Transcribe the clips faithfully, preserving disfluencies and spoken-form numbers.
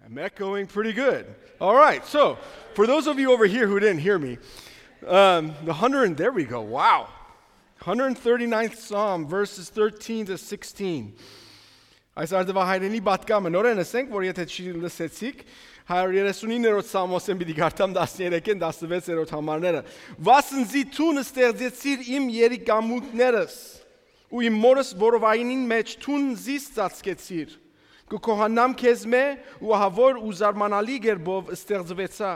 I'm echoing pretty good. All right, so for those of you over here who didn't hear me, um, the hundred, there we go, wow. Hundred thirty-ninth Psalm, verses thirteen to sixteen. Այս արդուայ հայրենի պատկամը նորեն ասենք, որ եթե չի լսեցիք, հարիւր երեսունիններորդ Սաղմոսէն պիտի կարդամ, տասներեքէն տասնվեցերորդ համարները։ Վասն զի դուն ստեղծեցիր իմ երիկամունքներս, ու իմ մօրս որովայնին մէջ դուն զիս ծածկեցիր։ Կը գոհանամ քեզմէ, ու ահա որ ու զարմանալի կերպով ստեղծուեցայ։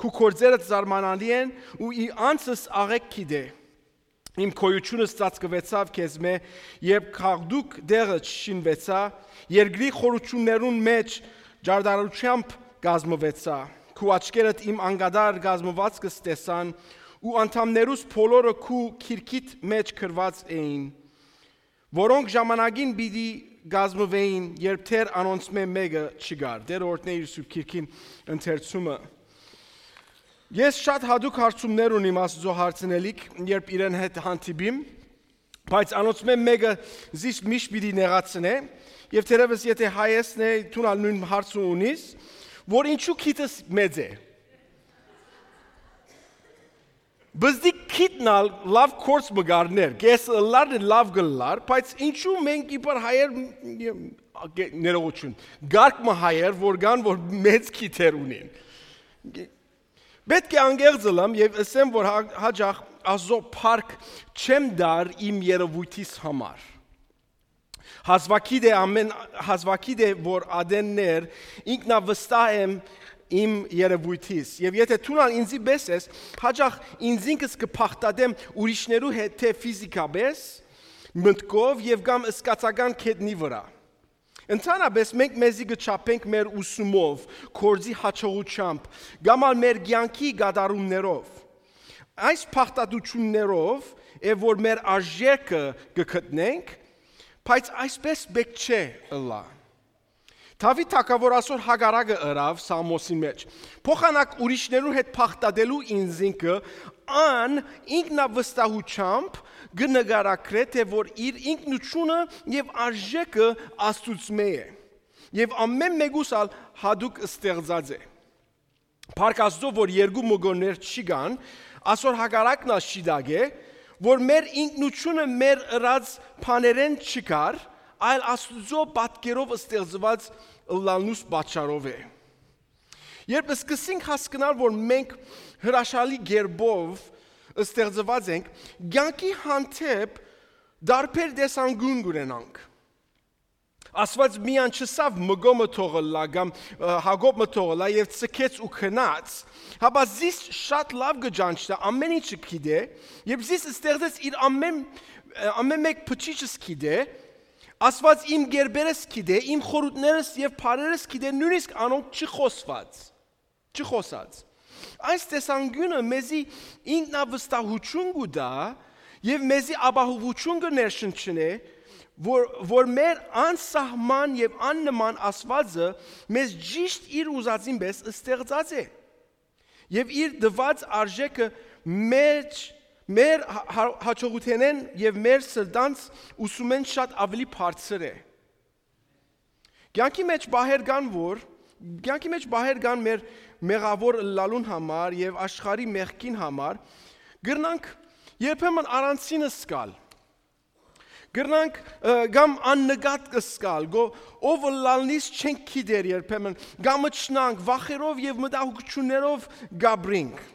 Քու գործերդ զարմանալի են, ու ի անցս աղէկ գիտէ։ Իմ գոյութիւնս ծածկուեցաւ քեզմէ, երբ գաղտուկ տեղը չշինուեցայ, երկրի խորութիւններուն մէջ ջարդարութեամբ կազմուեցայ։ Քու աչքերդ իմ անկատար կազմուածքս տեսան, ու անդամներուս բոլորը քու քիրքիդ մէջ գրուած էին, որոնք ժամանակին պիտի կազմուէին, երբ դեռ անոնցմէ մէկը չկար։ Տէր օրհնէ իր Սուրբ Քիրքին ընթերցումը։ Ես շատ յատուկ հարցումներ ունիմ Աստուծոյ հարցնելիք, երբ իրեն հետ հանդիպիմ, բայց անոնցմէ մէկը զիս միշտ պիտի նեղացնէ, եւ թերեւս եթե հայ ես, դուն ալ նոյն հարցը ունիս, որ ինչու քիթս մեծ է։ Բզդի քիթն ալ լաւ կորց մը գարներ, կես ըլլար լաւ գլլար, բայց ինչու մենք իբր հայեր, ներողություն, գարկ մը հայեր, որ կան, որ մեծ քիթեր ունին։ Պետք է անկեղծ ըլամ եւ ըսեմ, որ հա-, հաճախ Աստուծոյ փառք չեմ տար իմ երևույթիս համար։ Հազվագիտ է ամեն, հազվագիտ է, որ ատեններ ինքնավստահ եմ իմ երևույթիս։ Եւ եթե դուն ալ ինձի պէս ես, հաճախ ինձինքս կը փախտատեմ ուրիշներու հետ, թէ ֆիզիկապէս, մտքով եւ կամ սկացական կետնի վրա։ Ընդհանրապէս մենք մեզի կը չափենք մեր ուսումով, գործի հաջողութեամբ, կամ ալ մեր կեանքի կատարումներով։ Այս փախտատություններով է, որ մեր արժեքը կը գտնենք, բայց այսպես պէտք չէ ըլլայ։ Դաւիթ թագաւոր ասոր հակառակը ըրաւ Սաղմոսին մէջ։ Փոխանակ ուրիշներու հետ փախտատելու ինքնինքը, ան ինքնավստահութեամբ կը նկարագրէ, թէ որ իր ինքնութիւնը եւ արժեքը Աստուծմէ է։ Եւ ամեն մէկուս ալ յատուկ ստեղծած է։ Փառք Աստուծոյ, որ երկու մգոններ չի կան, ասոր հակառակն ալ շիտակ է, որ մեր ինքնութիւնը մեր ըրած բաներէն չկար, այլ Աստուծոյ պատկերով ստեղծուած ըլլալնուս պատճառով է։ Երբ սկսենք հասկնալ, որ մենք հրաշալի կերպով ստեղծված ենք, կեանքի հանդէպ տարբեր տեսանկիւն կունենանք։ Աստուած միայն չըսաւ մկոմը թող ըլլայ կամ, ը, Յակոբ մը թող ըլլայ եւ ցկեց ու գնաց, հապա զիս շատ լաւ կը ճանչնայ, ամեն ինչը գիտէ, եւ զիս ստեղծեց իր ամեն, ը, ամեն մէկ փչիչս գիտէ, Աստուած իմ կերպերս գիտէ, իմ խորհուրդներս եւ բառերս գիտէ, նոյնիսկ անոնք չխոսած, չխոսած։ Այս տեսանկիւնը մեզի ինքնավստահութիւն կու տայ եւ մեզի ապահովութիւն կը ներշնչնէ, որ, որ մեր անսահման եւ աննման Աստուածը մեզ ճիշդ իր ուզածին պէս ստեղծած է։ Եւ իր տուած արժեքը մեր, մեր հա-, հա-, հաջողութենէն եւ մեր սրտանց ուսումէն շատ աւելի բարձր է։ Կեանքի մէջ պահեր կան, որ, կեանքի մէջ պահեր կան մեր մեղաւոր ըլլալուն համար եւ աշխարհի մեղքին համար, կրնանք երբեմն առանցին զգալ։ Կրնանք, ը, կամ աննկատ զգալ, գո-, ով ըլլալնիս չենք գիտեր երբեմն, կամ ըչնանք, վախերով եւ մտահոգություններով կապրինք։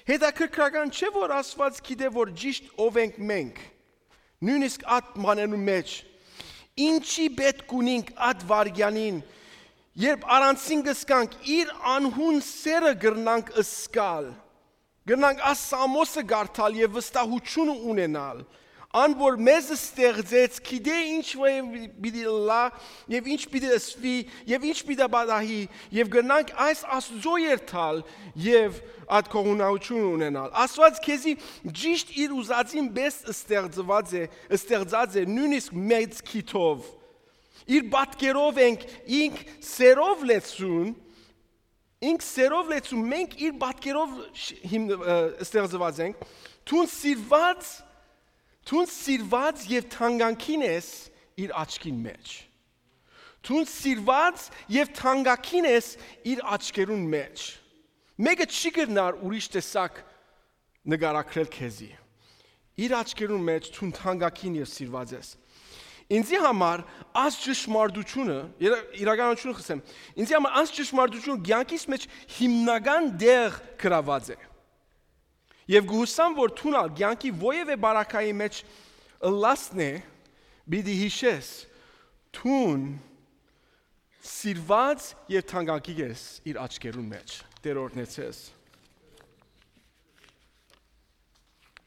Հետաքրքրական չէ՞, որ Աստուած գիտէ, որ ճիշդ ով ենք մենք, նոյնիսկ ատ բանենու մէջ։ Ինչի պէտք ունինք ատ վայրկեանին, երբ առանցին կ'զգանք, իր անհուն սերը կրնանք զգալ, կրնանք այս Սաղմոսը կարդալ եւ վստահութիւնը ունենալ, ան որ մեզ ստեղծեց, գիտէ ինչ պիտի ըլլայ եւ ինչ պիտի ըսուի եւ ինչ պիտի պատահի, եւ կրնանք այս Աստուծոյ երթալ եւ ատ գոհունակութիւն ունենալ։ Աստուած քեզի ճիշդ իր ուզածին պէս ստեղծված է, ստեղծած է, նոյնիսկ մեծ քիթով։ Իր պատկերով ենք, ինք սերով լեցուն, ինք սերով լեցուն, մենք իր պատկերով շ-, հիմն-, ը, ստեղծված ենք, դուն սիրված, դուն սիրված եւ թանկանքին ես իր աչքին մէջ։ Դուն սիրուած եւ թանկագին ես իր աչքերուն մէջ։ Մէկը չի կրնար ուրիշ տեսակ նկարագրել քեզի։ Իր աչքերուն մէջ դուն թանկագին եւ սիրուած ես։ Ինձի համար այս ճշմարտությունը, իրա-, իրականությունը խսեմ, ինձի համար այս ճշմարտությունը կեանքիս մէջ հիմնական տեղ գրաւած է։ Եւ կ'ուսամ, որ դուն ալ կեանքի որեւէ բարակայի մէջ ըլլասն է, պիտի յիշես, դուն սիրուած եւ թանկագին ես իր աչքերուն մէջ, Տէր օրհնեցես։